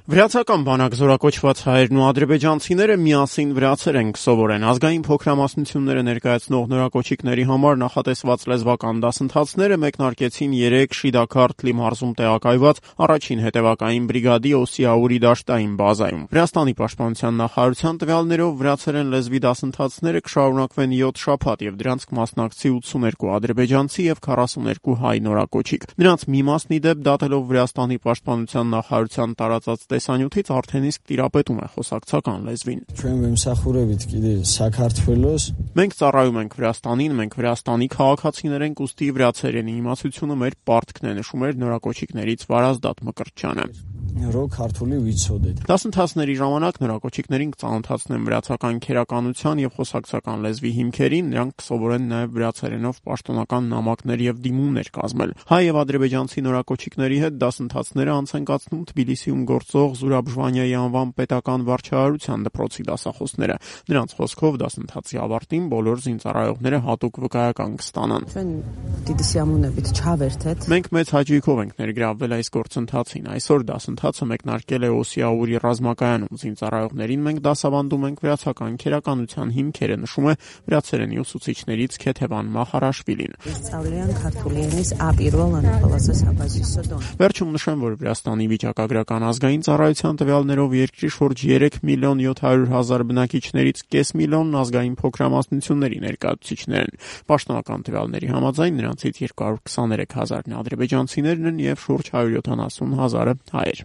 Վրացական բանակ զորակոչված հայերն ու ադրբեջանցիները միասին վրացեր են կսովորեն։ Ազգային փոքրամասնությունները ներկայացնող նորակոչիկների համար նախատեսված լեզվական դասընթացները մեկնարկեցին 3 Շիդաքարթլի մարզում տեղակայված առաջին հետևակային բրիգադի Օսիաուրի դաշտային բազայում։ Վրաստանի պաշտպանության նախարարության տվյալներով վրացերեն լեզվի դասընթացները կշարունակվեն 7 շաբաթ եւ դրանց կմասնակցի 82 ադրբեջանցի եւ 42 հայ նորակոչիկ։ Նրանց մի մասն ի դեպ դատելով Վրաստանի պաշտպանության նախարարության տարածած տեսանյութից արդեն իսկ տիրապետում է խոսակցական լեզվին։ Մենք ծառայում ենք Վրաստանին, մենք Վրաստանի քաղաքացիներ ենք, ուստի վրացերենի իմացությունը մեր պարտքն է, նշում էր նորակոչիկներից Վարազդատ Մկրտչյանը։ Դասընթացների ժամանակ նորակոչիկներին կծանոթացնեն վրացական քերականության եւ խոսակցական լեզվի հիմքերին, նրանք կսովորեն նաեւ վրացերենով պաշտոնական նամակներ եւ դիմումներ կազմել։ Հայ եւ ադրբեջանցի նորակոչիկների հետ դասընթացները անց են կացնում Թբիլիսիում գործող Զուրաբ Ժվանյայի անվան պետական վարչահարության դպրոցի դասախոսները։ Նրանց խոսքով դասընթացի ավարտին բոլոր զինծառայողները հատուկ վկայական կստանան։ Մենք մեծ հաճույքով ենք ներգրավվել այս գործընթացին։ Այսօր դասընթացը մեկնարկել է Օսիաուրի ռազմակայանում։ Զինծառայողներին մենք դասավանդում ենք վրացական քերականության հիմքերը, նշում է վրացերենի ուսուցիչներից Քեթևան Մախարաշվիլին։ Վերջում նշեմ, որ Վրաստանի վիճակագրական ազգային ծառայության տվյալներով երկրի շուրջ 3 միլիոն 700 հազար բնակիչներից կես միլիոնն ազգային փոքրամասնությունների ներկայացուցիչներ են։ Պաշտոնական տվյալների համաձայն նրանցից 223 հազարն ադրբեջանցիներն են եւ շուրջ 170 հազարը հայեր։